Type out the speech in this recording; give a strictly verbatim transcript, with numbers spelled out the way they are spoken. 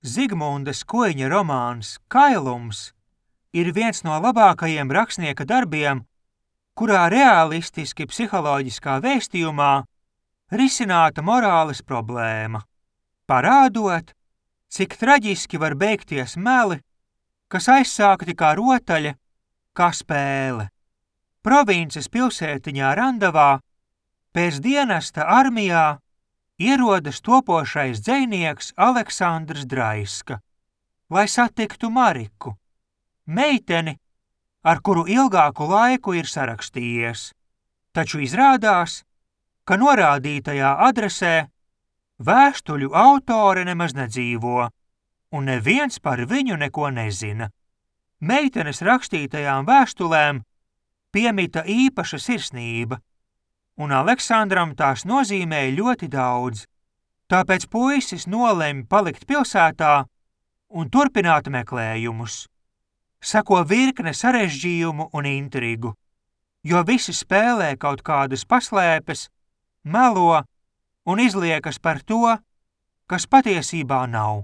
Zigmunda Skuiņa romāns Kailums ir viens no labākajiem rakstnieka darbiem, kurā realistiski psiholoģiskā vēstījumā risināta morāles problēma, parādot, cik traģiski var beigties meli, kas aizsākti kā rotaļa, kā spēle. Provinces pilsētiņā Randavā pēc dienesta armijā ierodas topošais dzejnieks Aleksandrs Draiska, lai satiktu Mariku, meiteni, ar kuru ilgāku laiku ir sarakstījies, taču izrādās, ka norādītajā adresē vēstuļu autore nemaz nedzīvo, un neviens par viņu neko nezina. Meitenes rakstītajām vēstulēm piemita īpaša sirsnība, un Aleksandram tās nozīmēja ļoti daudz, tāpēc puisis nolemj palikt pilsētā un turpināt meklējumus. Seko virkne sarežģījumu un intrigu, jo visi spēlē kaut kādas paslēpes, melo un izliekas par to, kas patiesībā nav.